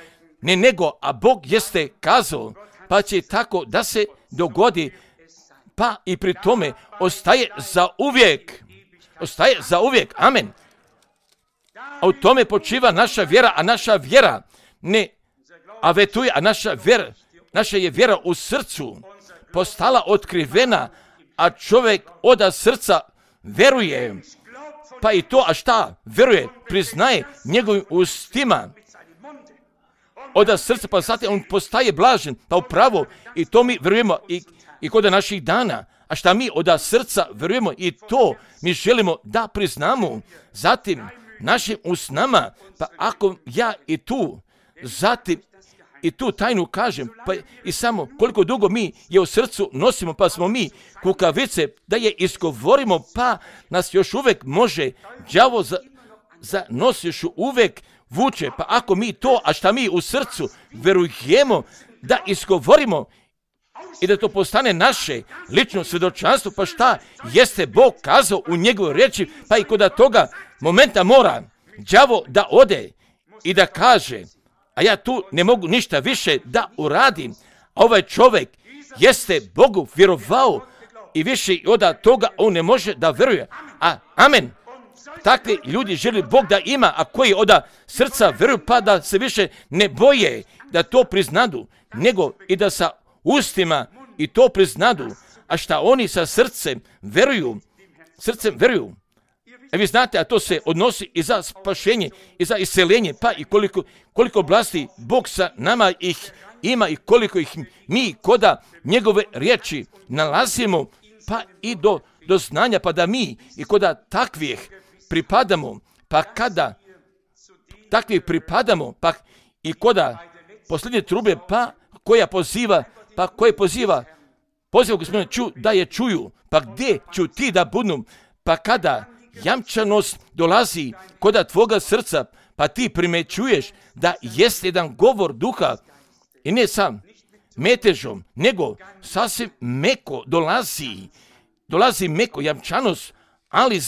ne nego, a Bog jeste kazao, pa će tako da se dogodi, pa i pri tome ostaje za uvijek, amen. A u tome počiva naša vjera, a naša vjera ne avetuje, a naša je vjera u srcu, postala otkrivena, a čovjek od srca veruje. Pa i to, a šta? Veruje, priznaje njegovim ustima. Od srca, pa zatim on postaje blažen, pa upravo, i to mi verujemo i kod naših dana. A šta mi od srca verujemo i to mi želimo da priznamo. Zatim, našim usnama, pa ako ja i tu, zatim i tu tajnu kažem, pa i samo koliko dugo mi je u srcu nosimo, pa smo mi kukavice, da je izgovorimo, pa nas još uvijek može đavo za nos još uvijek vuče. Pa ako mi to, a šta mi u srcu verujemo da izgovorimo i da to postane naše lično svjedočanstvo, pa šta jeste Bog kazao u njegovoj riječi, pa i kod toga momenta mora đavo da ode i da kaže, a ja tu ne mogu ništa više da uradim. A ovaj čovjek jeste Bogu vjerovao i više od toga on ne može da veruje. Amen. Takvi ljudi želi Bog da ima, a koji od srca veruju, pa da se više ne boje da to priznadu, nego i da sa ustima i to priznadu, a šta oni sa srcem veruju. Vi znate, a to se odnosi i za spašenje, i za iseljenje, pa i koliko oblasti Bog sa nama ih ima i koliko ih mi koda njegove riječi nalazimo, pa i do znanja, pa da mi i koda takvih pripadamo, pa kada takvih pripadamo, pa i koda posljednje trube, pa koja poziva Gospodine, da je čuju, pa gdje ću ti da budem, pa kada jamčanost dolazi koda tvoga srca, pa ti primećuješ da jest jedan govor duha i ne sam metežom, nego sasvim meko dolazi meko jamčanost, ali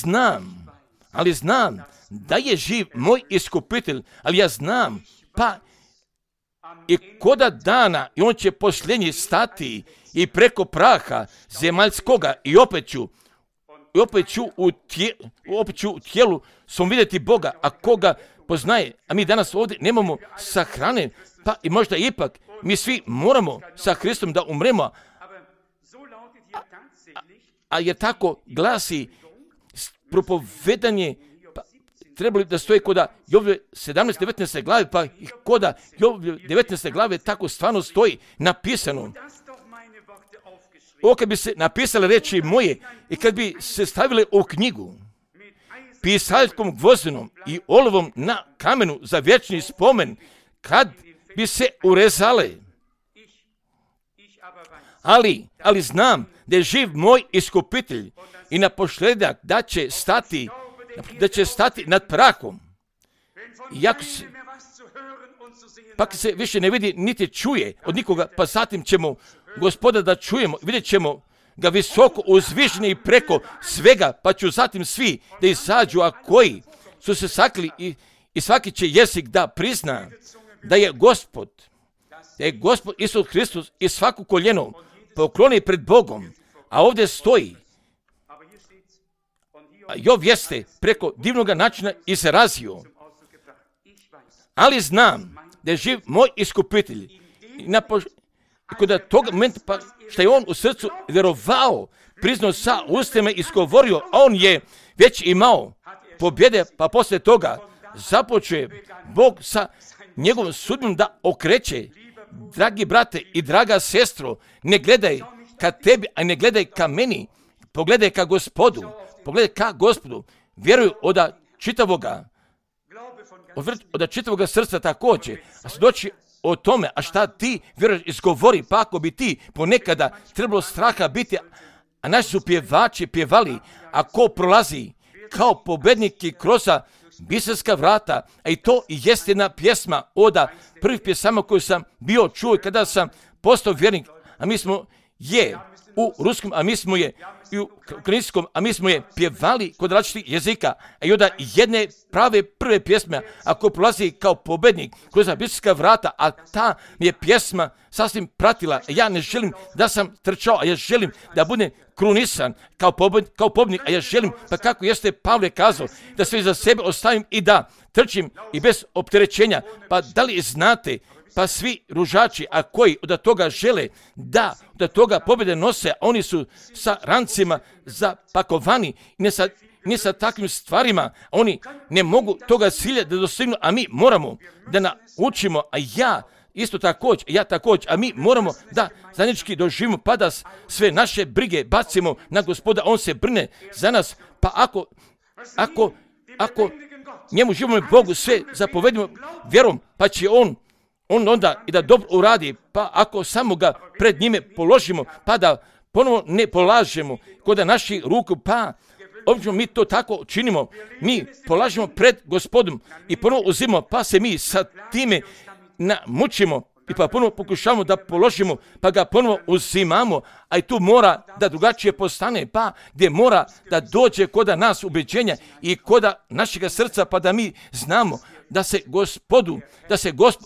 znam da je živ moj iskupitelj, ali ja znam, pa i koda dana i on će posljednji stati i preko praha zemaljskoga i opet ću u tijelu svom vidjeti Boga, a koga poznaje, a mi danas ovdje nemamo sahrane, pa i možda ipak mi svi moramo sa Hristom da umremo, a jer tako glasi propovedanje, pa trebali da stoji koda Jovljeve 17-19 glave, pa i koda Jovljeve 19 glave tako stvarno stoji napisano. Ovo kad bi se napisale reči moje i kad bi se stavile u knjigu pisaljkom gvozdenom i olovom na kamenu za vječni spomen, kad bi se urezale. Ali znam da je živ moj iskupitelj i na posljedak da će stati nad prahom. Pa se više ne vidi niti čuje od nikoga, pa zatim ćemo Gospoda da čujemo, vidjet ćemo ga visoko uzvišeni i preko svega, pa ću zatim svi da izađu, a koji su se sakli i svaki će jezik da prizna da je Gospod Isus Hristos i svaku koljeno pokloni pred Bogom, a ovdje stoji. A Jov jeste preko divnog načina izrazio, ali znam da je živ moj iskupitelj i kod tog momenta pa što je on u srcu vjerovao, priznao sa ustima i izgovorio, a on je već imao pobjede, pa poslije toga započuje Bog sa njegovom sudbinom da okreće. Dragi brate i draga sestro, ne gledaj ka tebi, a ne gledaj ka meni, pogledaj ka Gospodu, vjeruj od čitavoga srca također, a svjedoči o tome, a šta ti vjeruješ izgovori, pa ako bi ti ponekada trebalo straha biti, a naši su pjevači pjevali, a ko prolazi kao pobednik i kroz biserska vrata, a i to i jest jedna pjesma od prvih pjesama koju sam bio čuo kada sam postao vjernik, a mi smo je u ruskom, a mi smo je i u ukrajinskom, a mi smo je pjevali kod različitih jezika, a i od jedne prave prve pjesme, ako prolazi kao pobednik kroz biserska vrata, a ta mi je pjesma sasvim pratila, ja ne želim da sam trčao, a ja želim da budem krunisan kao pobjednik, a ja želim, pa kako jeste Pavle kazao, da sve za sebe ostavim i da trčim i bez opterećenja. Pa da li znate pa svi ružači, a koji od toga žele da od toga pobjede nose, oni su sa rancima zapakovani, ne sa takvim stvarima, oni ne mogu toga cilja da dostignu, a mi moramo da naučimo, a ja također, a mi moramo da zajednički doživimo, pa da sve naše brige bacimo na Gospoda, on se brine za nas, pa ako njemu živimo Bogu sve zapovedimo vjerom, pa će on onda i da dobro uradi, pa ako samo ga pred njime položimo, pa da ponovo ne polažemo kod naših ruku, pa obično mi to tako činimo, mi polažemo pred Gospodom i ponovo uzimamo, pa se mi sa time mučimo i pa ponovo pokušavamo da položimo, pa ga ponovo uzimamo, a i tu mora da drugačije postane, pa gdje mora da dođe kod nas ubeđenja i kod našega srca, pa da mi znamo da se Gospod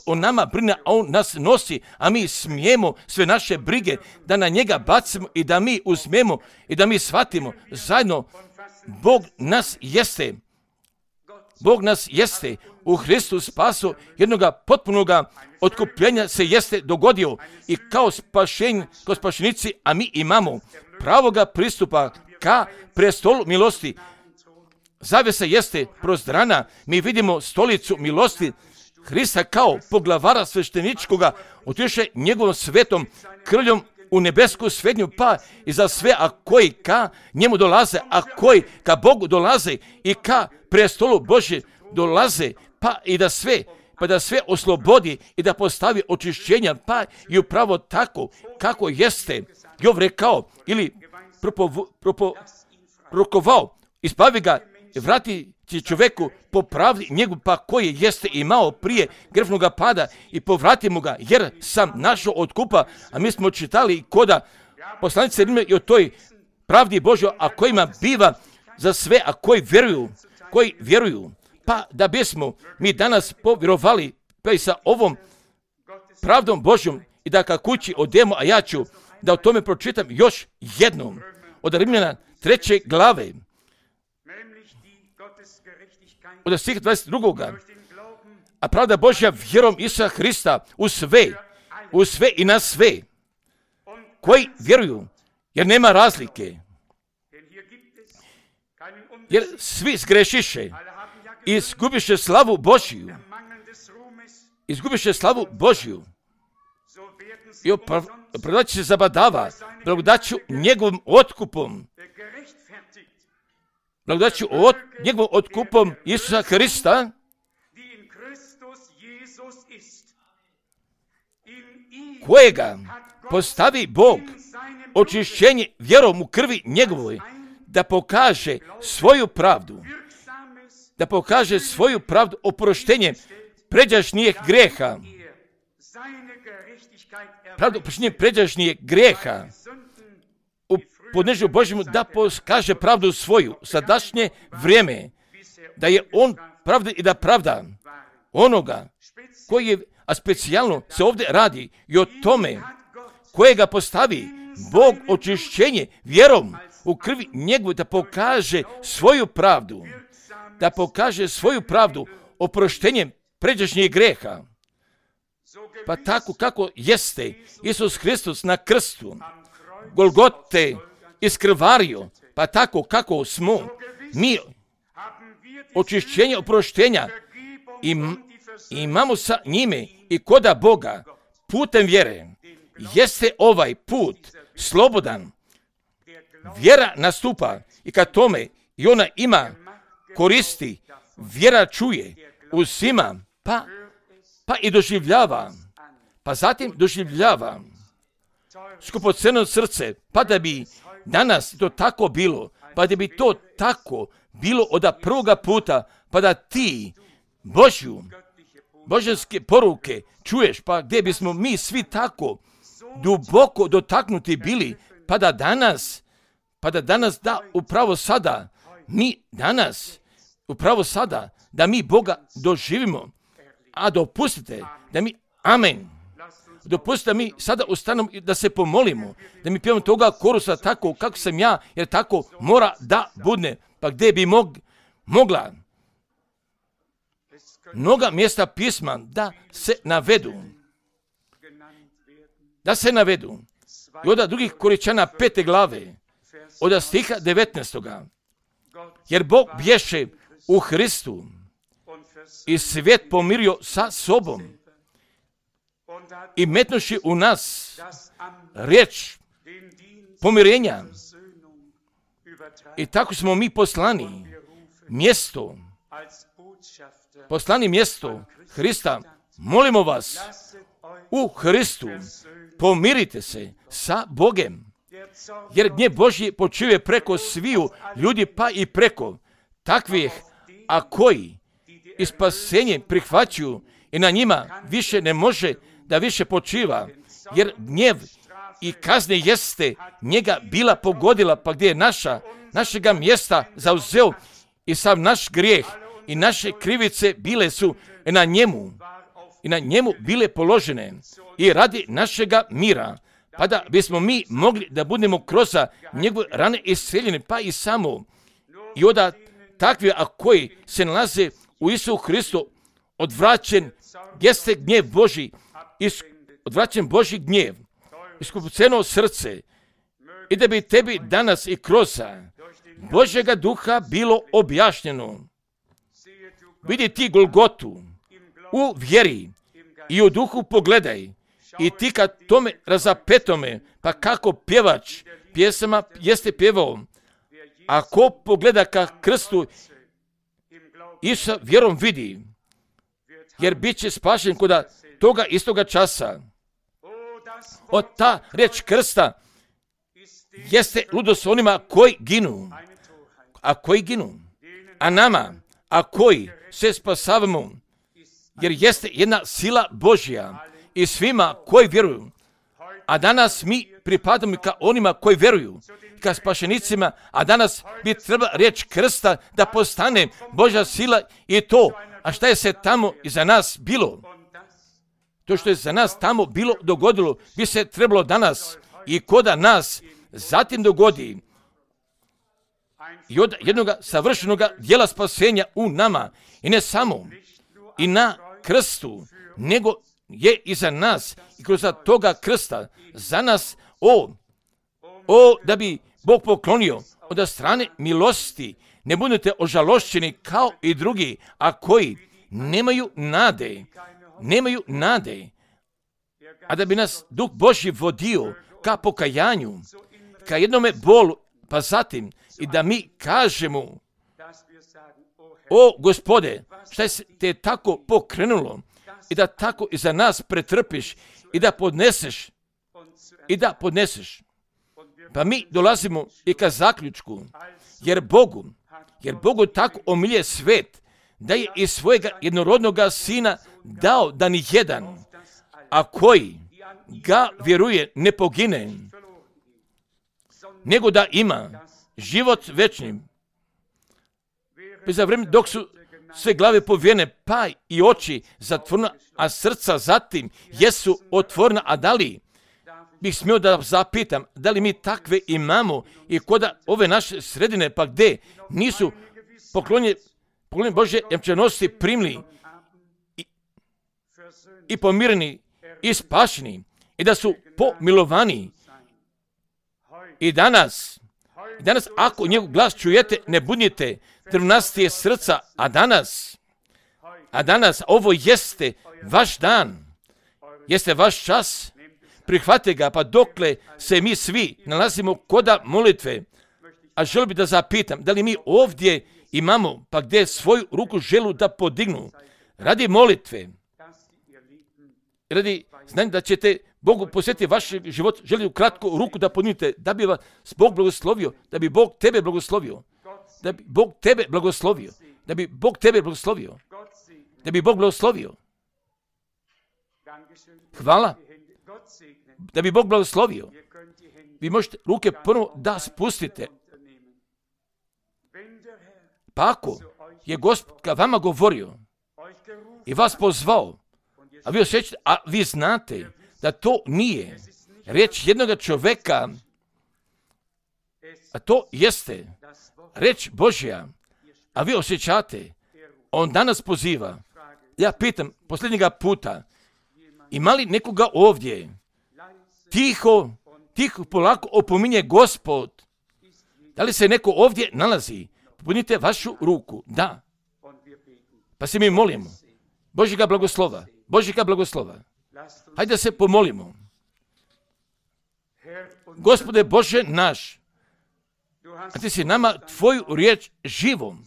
o nama brine, a on nas nosi, a mi smijemo sve naše brige da na njega bacimo i da mi uzmemo i da mi shvatimo zajedno. Bog nas jeste u Hristu spaso, jednoga potpunoga otkupljenja se jeste dogodio i kao spašenici, a mi imamo pravoga pristupa ka prestolu milosti. Zavjesa jeste prozdrana, mi vidimo stolicu milosti Hrista kao poglavara svešteničkoga, otiše njegovom svetom krljom u nebesku svetnju, pa i za sve, a koji ka njemu dolaze, a koji ka Bogu dolaze i ka prestolu Božje dolaze, pa da sve oslobodi i da postavi očišćenja, pa i upravo tako kako jeste Jov rekao ili prorokovao, ispavi ga, vrati će čovjeku po pravdi njegu, pa koji jeste imao prije grefnoga pada i povratimo ga, jer sam našao otkupa, a mi smo čitali koda poslanice Rimlja i o toj pravdi Božjoj, a kojima biva za sve, a koji vjeruju, pa da bismo mi danas povjerovali, pa i sa ovom pravdom Božjom i da ka kući odemo, a ja ću da o tome pročitam još jednom od Rimljana 3. glave, od stiha 22. A pravda Božja vjerom Isusa Hrista u sve i na sve koji vjeruju, jer nema razlike, jer svi zgrešiše i izgubiše slavu Božju i opravdat se zabadava blagodaću njegovim otkupom, njegovom otkupom Isusa Hrista, kojega postavi Bog očišćenje vjerom u krvi njegovoj, da pokaže svoju pravdu, oproštenje pređašnjih greha, u podnežu Božjemu, da pokaže pravdu svoju sadašnje vrijeme, da je on pravda i da pravda onoga koji je, a specijalno se ovdje radi i o tome kojega postavi Bog očišćenje vjerom u krvi njegovu, da pokaže svoju pravdu oproštenjem pređašnjih greha. Pa tako kako jeste Isus Hristos na krstu Golgote iskrvario, pa tako kako smo mi očišćenje oproštenja imamo sa njime i koda Boga putem vjere. Jeste ovaj put slobodan, vjera nastupa i kad tome i ona ima koristi, vjera čuje, uzima, pa i doživljava, pa zatim doživljava skupocjeno srce, pa da bi danas to tako bilo, pa da bi to tako bilo od prvoga puta, pa da ti božanske poruke čuješ, pa gdje bismo mi svi tako duboko dotaknuti bili, pa da danas da upravo sada, da mi Boga doživimo, a dopustite da mi, amen, dopustite da mi sada ustanemo da se pomolimo, da mi pjevamo toga korusa tako kako sam ja, jer tako mora da budne, pa gdje bi mogla mnoga mjesta pisma da se navedu, da se navedu. I od drugih Korinčana 5. glave, od stiha 19. Jer Bog bješe u Hristu i svijet pomirio sa sobom i metnuši u nas riječ pomirenja. I tako smo mi poslani mjesto Hrista. Molimo vas, u Hristu pomirite se sa Bogem, jer gnjev Božji počuje preko sviju ljudi, pa i preko takvih, a koji i spasenje prihvaćuju i na njima više ne može da više počiva, jer gnjev i kazne jeste njega bila pogodila, pa gdje je našega mjesta zauzeo i sav naš grijeh i naše krivice bile su na njemu bile položene i radi našega mira, pa da bismo mi mogli da budemo kroz njegove rane isceljeni, pa i samo i od takvi, a koji se nalaze u Isusu Hristu, odvraćen jeste gnjev Božji, odvraćen Božji gnjev, iskupceno srce, i da bi tebi danas i kroz Božjega duha bilo objašnjeno. Vidi ti Golgotu u vjeri i u duhu pogledaj i ti kad tome razapetome, pa kako pjevač pjesama jeste pjevao, a ko pogleda ka krstu i sa vjerom vidi, jer bit će spašen kod toga istoga časa. Od ta riječ krsta jeste ludost onima koji ginu, a nama, a koji se spasavamo, jer jeste jedna sila Božja i svima koji vjeruju. A danas mi pripadamo ka onima koji vjeruju, ka spašenicima, a danas bi trebala riječ krsta da postane Božja sila i to. A šta je se tamo iza nas bilo? To što je za nas tamo bilo dogodilo, bi se trebalo danas i koda nas zatim dogodi i od jednog savršenog djela spasenja u nama, i ne samo i na krstu, nego je i za nas i kroz toga krsta za nas, da bi Bog poklonio od strane milosti, ne budete ožalošćeni kao i drugi, a koji nemaju nade, a da bi nas Duh Božji vodio ka pokajanju, ka jednome bolu, pa zatim i da mi kažemo: o Gospode, šta je te tako pokrenulo, i da tako i za nas pretrpiš i da podneseš. Pa mi dolazimo i ka zaključku, jer Bogu tako omilje svet, da je iz svojega jednorodnoga sina dao da ni jedan, a koji ga vjeruje, ne pogine, nego da ima život večni. Za vrijeme dok su sve glave povijene, pa i oči zatvorena, a srca zatim jesu otvorena, a da li bih smio da zapitam, da li mi takve imamo i kod ove naše sredine, pa gdje nisu poklonje Božje jamčenosti primili i pomireni i spašeni, i da su pomilovani. I danas ako njegov glas čujete, ne budite drvnastije srca, a danas ovo jeste vaš dan, jeste vaš čas, prihvate ga, pa dokle se mi svi nalazimo koda molitve. A želim bi da zapitam, da li mi ovdje imamo, pa gdje svoju ruku želu da podignu radi molitve, radi znanja da ćete Bogu posjetiti vaš život, želi u kratku ruku da podignete, da bi vas Bog blagoslovio, da bi Bog tebe blagoslovio, da bi Bog tebe blagoslovio, da bi Bog tebe blagoslovio, da bi Bog blagoslovio. Hvala. Da bi Bog blagoslovio. Vi možete ruke prvo da spustite. Pa ako je Gospod ka vama govorio i vas pozvao, a vi osjećate, a vi znate da to nije riječ jednog čovjeka, a to jeste riječ Božja, a vi osjećate, on danas poziva. Ja pitam posljednjega puta, ima li nekoga ovdje tiho polako opominje Gospod. Da li se neko ovdje nalazi? Popunite vašu ruku. Da. Pa se mi molimo. Božjega blagoslova. Hajde da se pomolimo. Gospode Bože naš, a ti si nama tvoju riječ živom,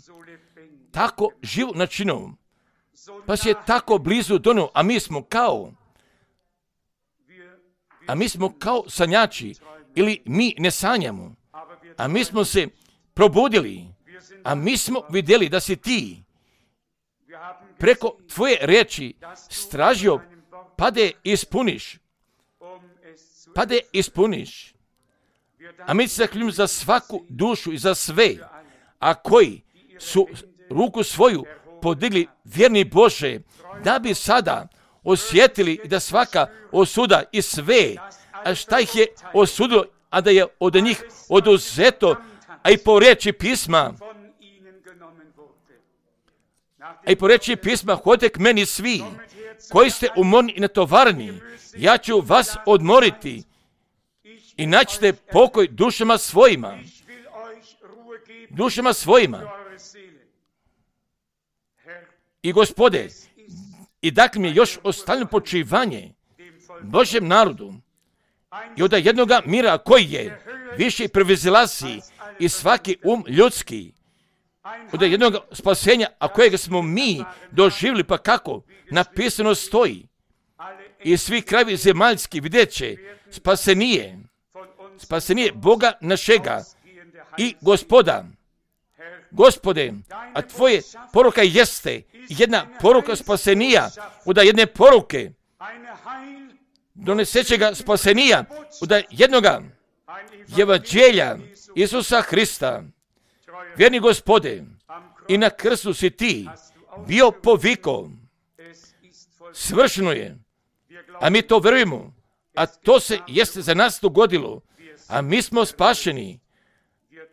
tako živo načinom, pa si je tako blizu donio, a mi smo kao sanjači, ili mi ne sanjamo, a mi smo se probudili, a mi smo vidjeli da si ti preko tvoje riječi stražio, pa da je ispuniš. A mi se zahvaljujemo za svaku dušu i za sve, a koji su ruku svoju podigli, vjerni Bože, da bi sada osjetili da svaka osuda i sve, a šta ih je osudilo, a da je od njih oduzeto, a i po riječi pisma, hodite k meni svi, koji ste umorni i natovarni, ja ću vas odmoriti i naćete pokoj dušama svojima. I Gospode, i dakle mi je još ostavljeno počivanje Božjem narodu i od jednoga mira koji je više prevazilazi i svaki ljudski, od jednog spasenja, a kojega smo mi doživjeli, pa kako napisano stoji, i svi krajevi zemaljski vidjet će spasenije Boga našega i Gospode, a tvoje poruka jeste jedna poruka spasenija, od jedne poruke donesećega spasenija, od jednoga evanđelja Isusa Hrista. Vjerni Gospode, i na krstu si ti bio poviko, svršeno je, a mi to vjerujemo, a to se jeste za nas dogodilo, a mi smo spašeni,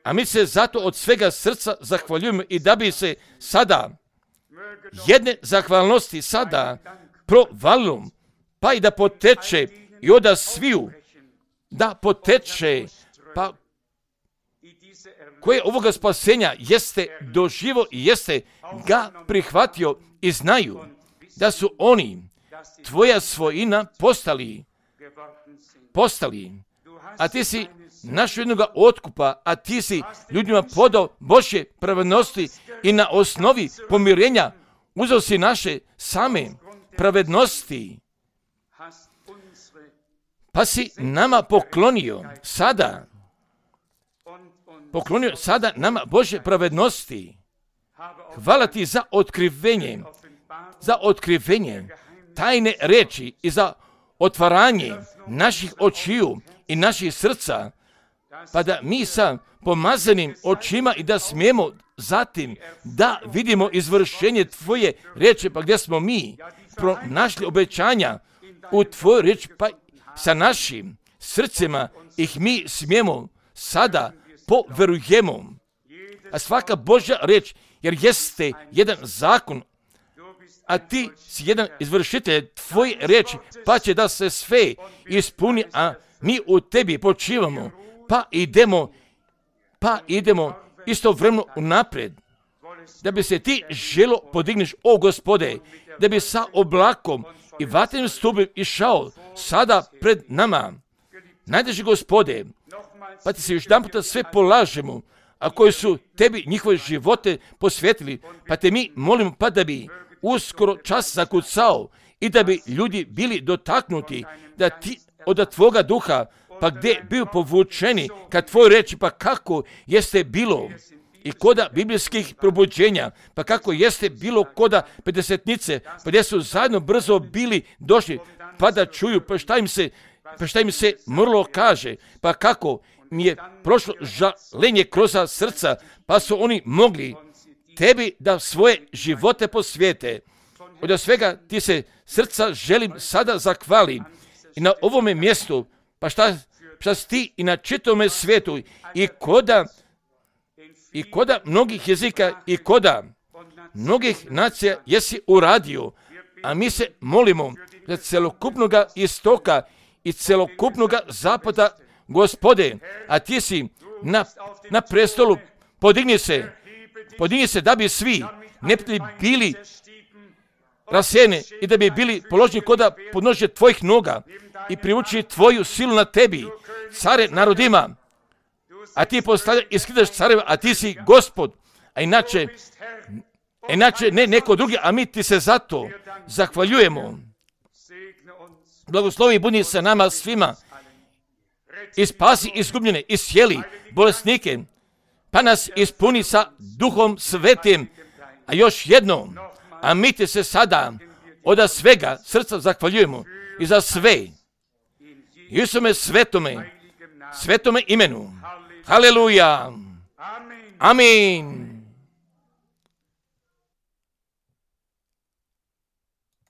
a mi se zato od svega srca zahvaljujemo i da bi se sada jedne zahvalnosti sada provalilo, pa i da poteče i oda sviju, da poteče, pa koje ovoga spasenja jeste doživo i jeste ga prihvatio i znaju da su oni tvoja svojina postali, a ti si našao jednoga otkupa, a ti si ljudima podao Božje pravednosti i na osnovi pomirenja uzeo si naše same pravednosti, pa si nama poklonio sada nama Božje pravednosti. Hvala ti za otkrivenje tajne reči i za otvaranje naših očiju i naših srca, pa da mi sa pomazanim očima i da smijemo zatim da vidimo izvršenje tvoje riječi, pa gdje smo mi pronašli obećanja u tvojoj riječi, pa sa našim srcima ih mi smijemo sada poverujemo. A svaka Božja riječ, jer jeste jedan zakon, a ti si jedan izvršitelj tvoje riječi, pa će da se sve ispuni, a mi u tebi počivamo, pa idemo istovremeno unaprijed, da bi se ti želo podigneš, o Gospode, da bi sa oblakom i vatrenim stupom išao sada pred nama. Najdraži Gospode, pa ti se još jedan puta sve polažemo, a koji su tebi njihove živote posvetili, pa te mi molimo, pa da bi uskoro čas zakucao i da bi ljudi bili dotaknuti, da ti od tvoga duha, pa gdje bio povučeni kad tvoj reči, pa kako jeste bilo i koda biblijskih probuđenja, pa kako jeste bilo koda pedesetnice, pa gdje su zajedno brzo bili došli, pa da čuju, pa šta im se mrlo kaže, pa kako mi je prošlo žalenje kroz srca, pa su oni mogli tebi da svoje živote posvijete. Od svega ti se srca želim sada zahvalim i na ovome mjestu, pa šta si ti i na čitome svijetu i koda mnogih jezika i koda mnogih nacija jesi uradio, a mi se molimo za celokupnoga istoka i celokupnog zapada, Gospode, a ti si na prestolu, podigni se da bi svi neprijatelji bili rasijeni i da bi bili položeni koda podnožje tvojih noga i privuči tvoju silu na tebi, care narodima, a ti postavljaš i skidaš careva, a ti si Gospod, a inače ne neko drugi, a mi ti se zato zahvaljujemo. Blagoslovi budi sa nama svima i spasi izgubljene, iscijeli bolesnike, pa nas ispuni sa Duhom Svetim. A još jedno, a mi ti se sada od svega srca zahvaljujemo i za sve. Isume svetome imenu. Haleluja. Amin.